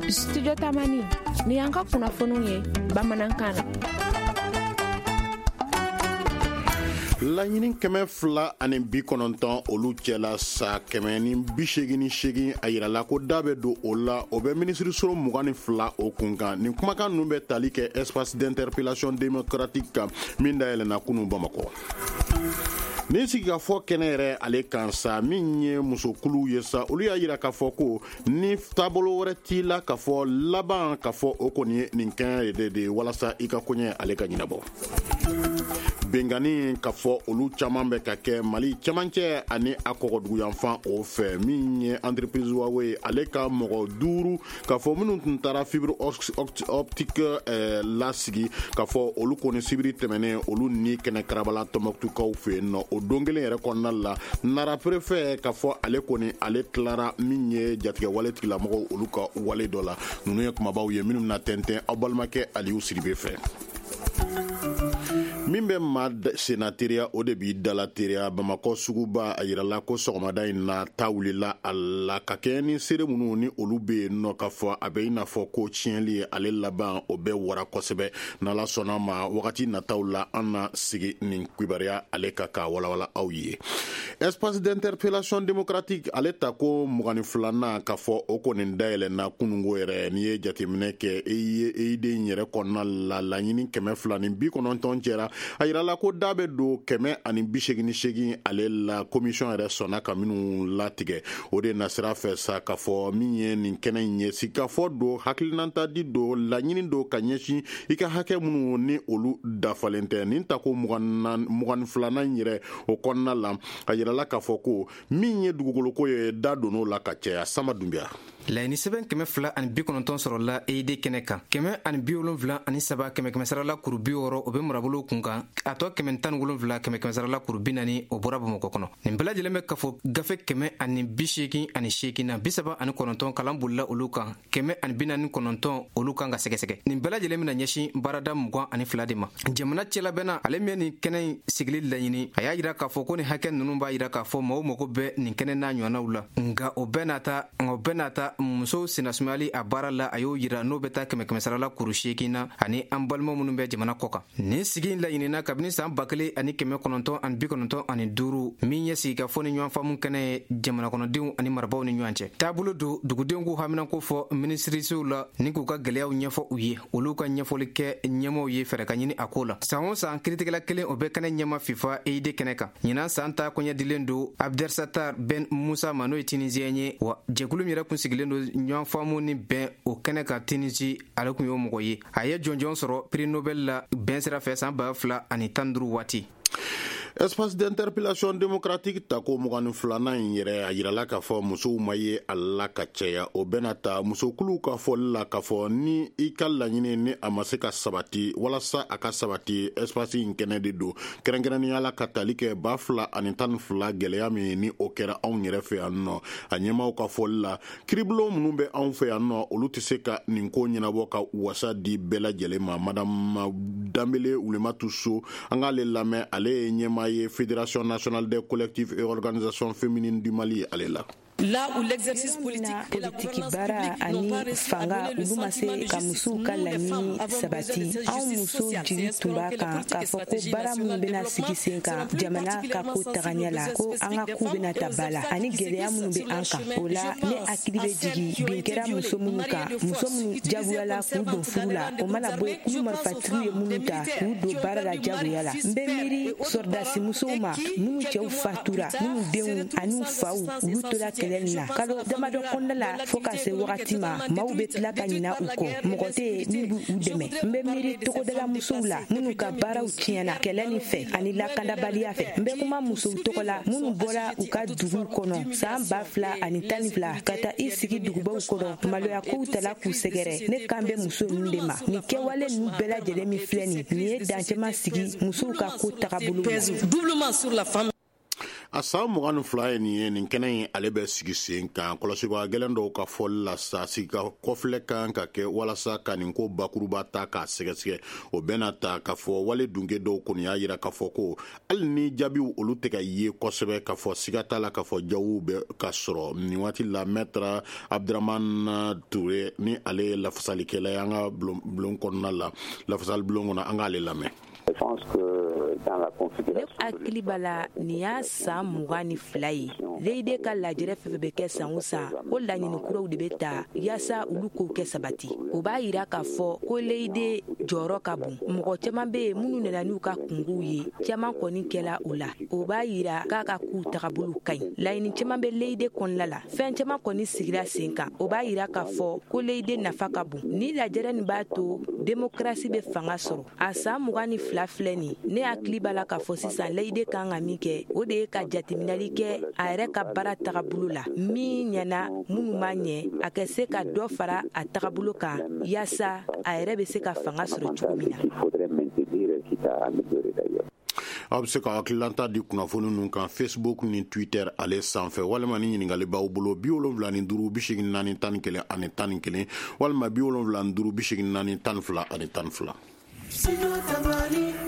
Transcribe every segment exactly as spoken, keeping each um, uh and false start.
Studio Tamani, ni y'an ka kunnafoniw ye bamanankan na. Laɲini kɛmɛ fila ani bi kɔnɔntɔn olu cɛla sa kɛmɛ ni bi seegin ni seegin a yirala ko da bɛ don o la, o bɛ minisiriso mugan ni fila o kun kan. Nin kumakan ninnu bɛ tali kɛ espace d'interpellation démocratique kan min dayɛlɛnna kunun Bamakɔ. Nin sigikafɔ kɛnɛ yɛrɛ ale kan sa, min ye musokuluw ye sa, olu y'a yira k'a fɔ ko ni taabolo wɛrɛ t'i la k'a fɔ laban k'a fɔ o kɔni ye nin kɛnɛ de de walasa i ka koɲɛ ale ka ɲɛnabɔ. Bengani k'a fɔ olu caman bɛ ka kɛ Mali cɛmancɛ ani a kɔgɔduguyanfan o fɛ, min ye entreprise Huawei ale ka mɔgɔ duuru k'a fɔ minnu tun taara fibre optique lasigi k'a fɔ olu kɔni sibiri tɛmɛnen olu ni kɛnɛ karabala Tɔnbɔkutukaw fɛ yen nɔ. O don kelen yɛrɛ kɔnɔna la, Nara préfet k'a fɔ ale kɔni ale tilara min ye jatigɛwale tigilamɔgɔw olu ka wale dɔ la. Ninnu ye kumabaw ye minnu na tɛntɛn aw balimakɛ Aliyu Sidibe fɛ. Min bɛ maa senna teriya o de b'i dala teriya. Bamakɔ suguba a yirala ko sɔgɔmada in na ta wulila a la ka kɛɲɛ ni seere minnu ni olu bɛ yen nɔ k'a fɔ a bɛ i n'a fɔ ko tiɲɛli ye ale laban o bɛ wara kosɛbɛ. N'Ala sɔnna ma wagati nataw la an na sigi nin kibaruya ale ka k'a walawala aw ye. Espace d'interpellation démocratique ale ta ko mugan ni filanan k'a fɔ o kɔni dayɛlɛnna kununko yɛrɛ. N'i ye jateminɛ kɛ E I D in yɛrɛ kɔnɔna la, laɲini kɛmɛ fila ni bi kɔnɔntɔn cɛra. A yirala ko da bɛ don kɛmɛ ani bi seegin ni seegin ale la, commission yɛrɛ sɔnna ka minnu latigɛ. O de nasira fɛ sa k'a fɔ min ye nin kɛnɛ in ye, sigikafɔ don, hakilinata di don, laɲini don ka ɲɛsin i ka hakɛ minnu ni olu dafalen tɛ. Nin tako mugan ni filanan in yɛrɛ o kɔnɔna la, a yirala k'a fɔ ko min ye dugukoloko ye da donn'o la ka caya. Sama Dunbiya. Laɲini sɛbɛn kɛmɛ fila ani bi kɔnɔntɔn sɔrɔla E I D kɛnɛ kan, kɛmɛ ani bi wolonfila ani saba kɛmɛ kɛmɛ sarala kuru bi wɔɔrɔ o bɛ marabolo kun kan, a tɔ kɛmɛ tan ni wolonfila kɛmɛ kɛmɛ sarala kuru bi naani o bɔra Bamakɔ kɔnɔ. Nin bɛɛ lajɛlen bɛ kafo gafe kɛmɛ ani bi seegin ani seegin na, bi saba ani kɔnɔntɔn kalan bolila olu kan, kɛmɛ ani bi naani kɔnɔntɔn olu kan ka sɛgɛsɛgɛ. Nin bɛɛ lajɛlen bɛna ɲɛsin baarada mugan ani fila de ma. Jamana cɛlabɛnna ale min ye nin kɛnɛ in sigili laɲini, a y'a yira k'a fɔ ko nin hakɛ ninnu b'a yira k'a fɔ maaw mago bɛ nin kɛnɛ n'a ɲɔgɔnnaw la, nka o bɛɛ n'a ta o bɛɛ n'a ta musow sennasumayali a baara la, a y'o yira n'o bɛ taa kɛmɛ kɛmɛ sarala kuru seegin na ani an balima minnu bɛ jamana kɔ kan. Nin sigi in laɲinina kabini san ba kelen ani kɛmɛ kɔnɔntɔn ani bi kɔnɔntɔn ani duuru, min ye sigikafɔ ni ɲɔgɔn faamu kɛnɛ ye jamana kɔnɔdenw ani marabaaw ni ɲɔgɔn cɛ. Taabolo don dugudenw k'u haminanko fɔ minisirisow la ni k'u ka gɛlɛyaw ɲɛfɔ u ye, olu ka ɲɛfɔli kɛ ɲɛmaaw ye fɛɛrɛ ka ɲini a ko la. San o san kiiritigɛla kelen o bɛ kɛnɛ ɲɛma FIFA E I D kɛnɛ kan. Ɲinan san ta koɲɛ dilen don Abdersatar Ben Musa ma, n'o ye Tunisien ye, wa jɛkulu min yɛrɛ kun sigilen don ɲɔgɔn faamu ni bɛn o kɛnɛ kan Tunisie, ale kun y'o mɔgɔ ye. A ye jɔnjɔn sɔrɔ prix Nobel la bɛn sira fɛ san ba fila ani tan duuru waati. Espace d'interpellation démocratique tako mugan ni filanan in yɛrɛ a yirala k'a fɔ musow ma ye a la ka caya. O bɛna ta musokuluw ka fɔli la k'a fɔ ni i ka laɲini ni a ma se ka sabati, walasa a ka sabati espace in kɛnɛ de don, kɛrɛnkɛrɛnnenya la ka tali kɛ ba fila ani tan ni fila gɛlɛya min ni o kɛra anw yɛrɛ fɛ yan nɔ. A ɲɛmaaw ka fɔli la, kiribulon minnu bɛ anw fɛ yan nɔ olu tɛ se ka nin ko ɲɛnabɔ ka wasa di bɛɛ lajɛlen ma. Madame Danbele Wulematu So, an k'ale lamɛn, ale ye ɲɛmaa ye Fédération nationale des collectifs et organisations féminines du Mali ale la. Là où l'exercice politique et la gouvernance publique n'ont pas réussi à donner le sentiment de justice, nous les femmes avons besoin de cette justice sociale. C'est espérons que les politiques et stratégies nationales de développement seront plus particulièrement sensibles aux besoins spécifiques des femmes et aux obstacles qui se glissent sur leur chemin. Je pense à celles qui ont été violées, mariées de force, utilisées comme servantes dans les rangs des groupes armées. Je pense aux femmes, des militaires qui ont perdu mari, fils, père et autres parents et qui, quelques mois plus tard, se retrouvent sans assistance et sans soutien. Kalo damadɔ kɔnɔna la fo ka se wagati ma, maaw bɛ tila ka ɲina u kɔ, mɔgɔ tɛ yen min b'u dɛmɛ. N bɛ miiri togodala musow la minnu ka baaraw tiɲɛna kɛlɛ nin fɛ ani lakanabaliya fɛ. N bɛ kuma musow tɔgɔ la minnu bɔra u ka duguw kɔnɔ san ba fila ani tan ni fila ka taa i sigi dugubaw kɔnɔ, maloya kow tala k'u sɛgɛrɛ. Ne kan bɛ muso ninnu de ma. Nin kɛwale ninnu bɛɛ lajɛlen min filɛ nin, nin ye dancɛma sigi musow ka ko tagabolo la. A san mugan ni fila ye nin ye, nin kɛnɛ in ale bɛ sigi sen kan. Kɔlɔsibaa gɛlɛn dɔw ka fɔli la sa, sigi ka kɔfilɛ kan ka kɛ walasa ka nin ko bakuruba ta k'a sɛgɛsɛgɛ. O bɛna ta k'a fɔ wale dunke dɔw kɔni y'a jira k'a fɔ ko hali ni jaabiw olu tɛ ka ye kosɛbɛ, k'a fɔ siga t'a la k'a fɔ jaabiw bɛ ka sɔrɔ nin waati la. Maître Abdramane Touré ni ale ye lafasalikɛla ye an ka bulon kɔnɔna la, lafasali bulon kɔnɔ, an k'ale lamɛn. Ne hakili b'a la, nin y'a san mugan ni fila ye L E I D ka lajɛrɛ fɛn fɛn bɛ kɛ san o san, ko laɲini kuraw de bɛ ta yaasa olu k'o kɛ sabati. O b'a yira k'a fɔ ko L E I D jɔyɔrɔ ka bon. Mɔgɔ caman bɛ yen minnu nana n'u ka kungow ye, caman kɔni kɛla o la. O b'a yira k'a ka k'u tagabolo ka ɲi. Laɲini caman bɛ L E I D kɔnɔna la, fɛn caman kɔni sigira sen kan. O b'a yira k'a fɔ ko L E I D nafa ka bon. Ni lajɛrɛ nin b'a to démocratie bɛ fanga sɔrɔ. A san mugan ni fila filɛ nin, ne hakili b'a la k'a fɔ sisan L E I D kan ka min kɛ, o de ye ka jateminɛli kɛ a yɛrɛ ka baara tagabolo la, min ɲɛna, minnu ma ɲɛ, a ka se ka dɔ fara a tagabolo kan yaasa a yɛrɛ bɛ se ka fanga sɔrɔ cogo min na. Aw bɛ se ka hakililanta di kunnafoni ninnu kan Facebook ni Twitter ale sanfɛ, walima ni ɲininkali b'aw bolo, bi wolonwula ni duuru bi seegin naani tan ni kelen ani tan ni kelen, walima bi wolonwula ni duuru bi seegin naani tan ni fila ani tan ni fila.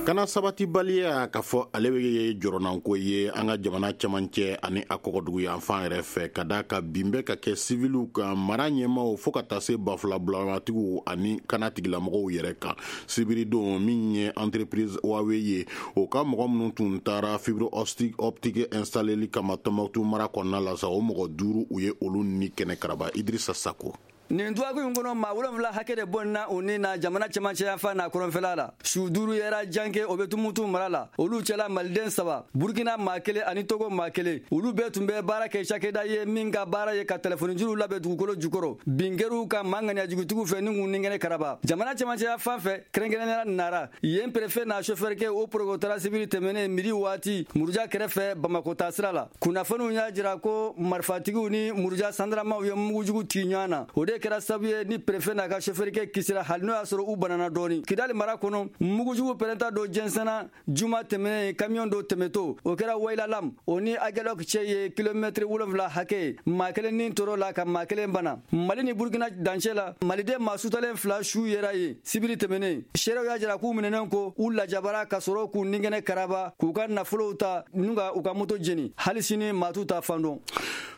Kana sabatibaliya k'a fɔ ale bɛ jɔrɔnanko ye an ka jamana cɛmancɛ ani a kɔgɔdugu yanfan yɛrɛ fɛ, ka da ka bin bɛ ka kɛ siviliw kan, mara ɲɛmaw, fo ka taa se bafula bulamatigiw ani kana tigilamɔgɔw yɛrɛ kan. Sibiridon, min ye entreprise Huawei ye, o ka mɔgɔ minnu tun taara fibre optique installeli kama Tɔnbɔkutu mara kɔnɔna la sa, o mɔgɔ duuru, u ye olu ni kɛnɛ karaba. Idrissa Sako. Nin dɔgɔkun in kɔnɔ, maa wolonfila hakɛ de bɔnna u ni na jamana cɛmancɛ fan n'a kɔrɔnfɛla la. Su duuru yɛrɛ janke, o bɛ Tumutu mara la. Olu cɛla, maliden saba, Burukina maa kelen ani Togo maa kelen. Olu bɛɛ tun bɛ baara kɛ cakɛda ye min ka baara ye ka telefɔni juruw labɛn dugukolo jukɔrɔ. Bin kɛr'u kan maa ŋaniyajugutigiw fɛ ni k'u ni kɛnɛ karaba. Jamana cɛmancɛya fan fɛ, kɛrɛnkɛrɛnnenya Nara yen, préfet n'a sofɛrikɛ, o porogotara sibiri tɛmɛnen midi waati Muruja kɛrɛfɛ Bamakɔ taasira la. Kunnafoniw y'a jira ko marifatigiw ni Muruja sandaramaw ye mugujugu ci ɲɔgɔn na. O de kɛra sababu ye ni préfet n'a ka sofɛrikɛ kisira, hali n'o y'a sɔrɔ u banana dɔɔni. Kidali mara kɔnɔ, mugujugu pɛrɛnta dɔ jɛnsɛnna juma tɛmɛnen, kamiyɔn dɔ tɛmɛtɔ. O kɛra Wayilalam, o ni Agelok cɛ ye kilomɛtiri wolonfila hakɛ ye. Maa kelen ni tɔɔrɔ la, ka maa kelen bana. Mali ni Burukina dancɛ la, maliden maa sutalen fila su yera yen sibiri tɛmɛnen. Seerew y'a jira k'u minɛnen ko u lajabara ka sɔrɔ k'u ninkɛnɛ karaba, k'u ka nafolow ta n'u ka u ka moto jeni. Hali sini maa t'u ta fan dɔn.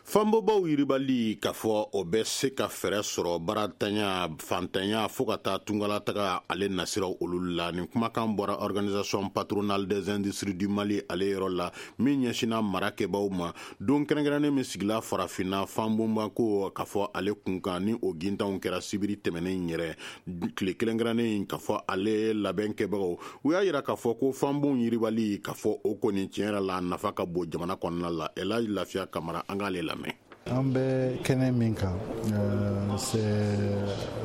Fanbobaw yiribali k'a fɔ o bɛ se ka fɛɛrɛ sɔrɔ baaratanya, fantanya, fo ka taa tungalataga ale nasiraw olu la. Nin kumakan bɔra Organisation patronale des industries du Mali ale yɔrɔ la, min ɲɛsinna mara kɛbaw ma. Don kɛrɛnkɛrɛnnen min sigila farafinna fanbonba ko k'a fɔ ale kunkan, ni o gintanw kɛra sibiri tɛmɛnen yɛrɛ, tile kɛrɛnkɛrɛnnen k'a fɔ ale labɛn kɛbagaw, u y'a yira k'a fɔ ko fanbon yiribali k'a fɔ o kɔni tiɲɛ yɛrɛ la, nafa ka bon jamana kɔnɔna la. Elaji Lafiya Kamara, an k'ale lamɛn. An bɛ kɛnɛ min kan, c'est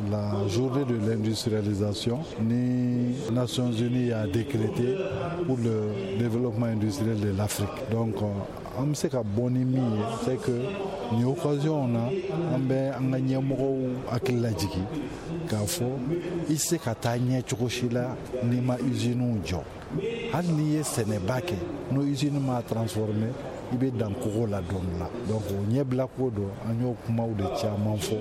la journée de l'industrialisation ni Nations Unies a décrété pour le développement industriel de l'Afrique. Donc an bɛ se ka bɔ ni min ye, c'est que nin occasion na, an bɛ an ka ɲɛmɔgɔw hakili lajigin k'a fɔ i tɛ se ka taa ɲɛ cogo si la n'i ma usines jɔ. Hali n'i ye sɛnɛba kɛ, n'o usine ma transformer, i bɛ dan kogo la don dɔ la. Donc o ɲɛbila ko don, an y'o kumaw de caman fɔ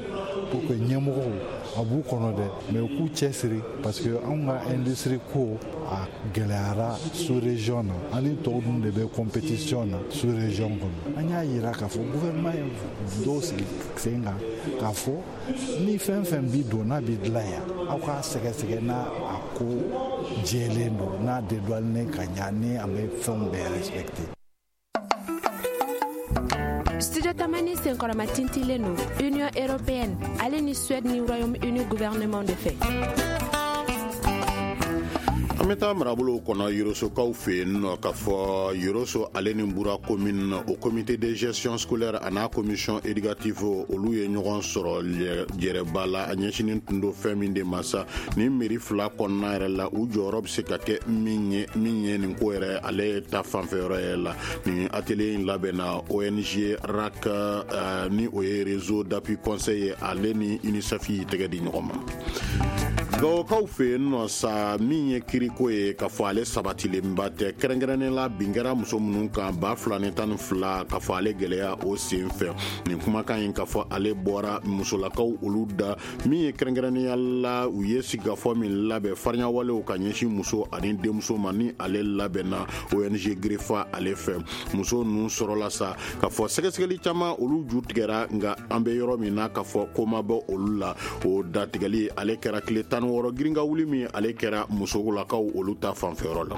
pour que ɲɛmɔgɔw a b'u kɔnɔ dɛ, mais u k'u cɛsiri, parce que anw ka industrie ko a gɛlɛyara sous région na. An ni tɔw dun de bɛ compétition na sous région kɔnɔ. An y'a yira k'a fɔ gouvernement ye dɔw sigi sen kan k'a fɔ ni fɛn fɛn bi don n'a bi dilan yan, aw k'a sɛgɛsɛgɛ n'a a ko jɛlen don, n'a dédouané ka ɲa, ni an bɛ fɛnw bɛɛ respecté. Studio Tamani senkɔrɔma tintilen don Union européenne ale ni Suède ni Royaume-Uni gouvernement de fɛ. An bɛ taa marabolow kɔnɔ, Yorosokaw fɛ yen nɔ, k'a fɔ Yoroso ale ni Bura commune, o comité de gestion scolaire a n'a commission éducative, olu ye ɲɔgɔn sɔrɔ jɛrɛba la. A ɲɛsinin tun don fɛn min de ma sa, ni mairie fila kɔnɔna yɛrɛ la, u jɔyɔrɔ bɛ se ka kɛ min ye min ye nin ko yɛrɛ ale ta fanfɛ yɔrɔ yɛrɛ la. Nin atelier in labɛnna O N G RAC, ni o ye Réseau d'appui conseil ye, ale ni UNICEF y'i tɛgɛ di ɲɔgɔn ma. Gawokaw fɛ yen nɔ sa, min ye kiriko ye k'a fɔ ale sabatilenba tɛ, kɛrɛnkɛrɛnnen la bin kɛra muso minnu kan ba fila ni tan ni fila, k'a fɔ ale gɛlɛya o sen fɛ. Nin kumakan in, k'a fɔ ale bɔra musolakaw olu da, min ye kɛrɛnkɛrɛnnenya la u ye sigikafɔ min labɛn fariɲawalew ka ɲɛsin muso ani denmuso ma, ni ale labɛnna O N G Grefa ale fɛ. Muso ninnu sɔrɔla sa k'a fɔ sɛgɛsɛgɛli caman olu ju tigɛra, nka an bɛ yɔrɔ min na, k'a fɔ ko ma bɔ olu la. O datigɛli ale kɛra tile tan ni wɔɔrɔ girinka wuli min ale kɛra musolakaw olu ta fanfɛyɔrɔ la.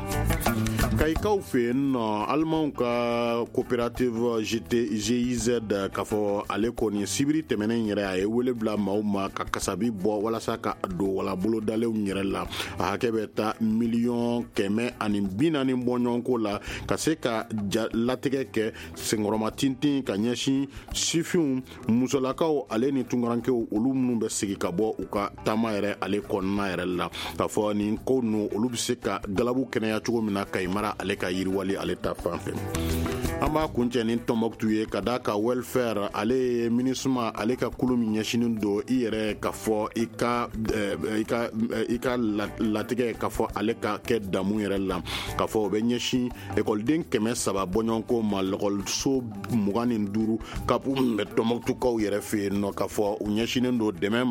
Kayikaw fɛ yen nɔ, alimanw ka coopérative G I Z, k'a fɔ ale kɔni sibiri tɛmɛnen yɛrɛ, a ye wele bila maaw ma ka kasabi bɔ walasa ka don wala bolodalenw yɛrɛ la. A hakɛ bɛ taa miliyɔn kɛmɛ ani bi naani bɔɲɔgɔnko la, ka se ka latigɛ kɛ senkɔrɔma tintin ka ɲɛsin sifinw, musolakaw ale ni tunkarankew, olu minnu bɛ sigi ka bɔ u ka taama yɛrɛ ale kɔnɔna yɛrɛ la, k'a fɔ nin ko ninnu olu bɛ se ka galabu kɛnɛya cogo min na Kayi mara ale ka yiriwali ale ta fan fɛ. An b'a kuncɛ ni Tɔnbɔkutu ye, ka da ka welfare ale ye MINUSMA ale ka kulu min ɲɛsinin don i yɛrɛ ka fɔ i ka i ka i ka latigɛ, ka fɔ ale ka kɛ damu yɛrɛ la, ka fɔ o bɛ ɲɛsin ekɔliden kɛmɛ saba bɔɲɔgɔnko ma, lɔkɔliso mugan ni duuru kapu bɛ Tɔnbɔkutukaw yɛrɛ fɛ yen nɔ, ka fɔ u ɲɛsinen don dɛmɛ ma.